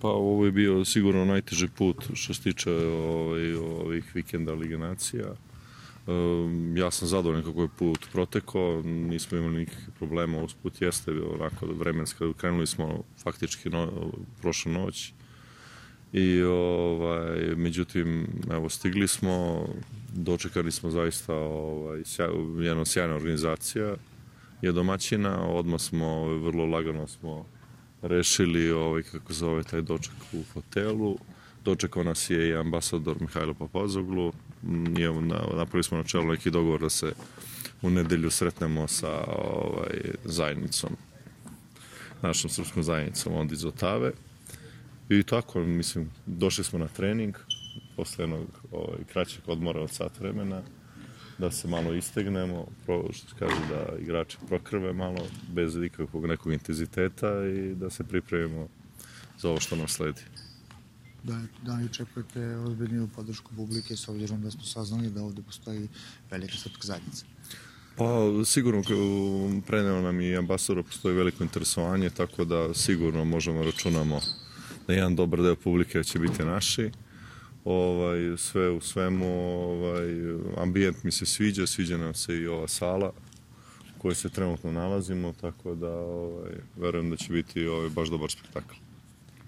Pa ovo je bio sigurno najteži put što se tiče ovih vikenda Lige nacija. Ja sam zadovoljan kako je put protekao, nismo imali nikakvih problema, usput jeste onako vremenska, krenuli smo faktički prošlu noć i međutim, evo, stigli smo, dočekali smo zaista jedna sjajna organizacija je domaćina, odmah smo, vrlo lagano smo rešili, kako zove, taj doček u hotelu. Dočekao nas je i ambasador Mihajlo Papazoglu. Napravili smo na čelu neki dogovor da se u nedelju sretnemo sa zajednicom, našom srpskom zajednicom onda iz Otave. I tako, mislim, došli smo na trening posle jednog kraćeg odmora od sat vremena, da se malo istegnemo, što se kaže, da igrači prokrve malo, bez ikakvog nekog intenziteta i da se pripremimo za ovo što nam sledi. Da li očekujete ozbiljniju podršku publike s obzirom da smo saznali da ovde postoji velika srpska zajednica? Pa sigurno preneo nam i ambasador, postoji veliko interesovanje, tako da sigurno možemo računamo da jedan dobar deo publike će biti naši. Sve u svemu, ambijent mi se sviđa nam se i ova sala u kojoj se trenutno nalazimo, tako da verujem da će biti baš dobar spektakl.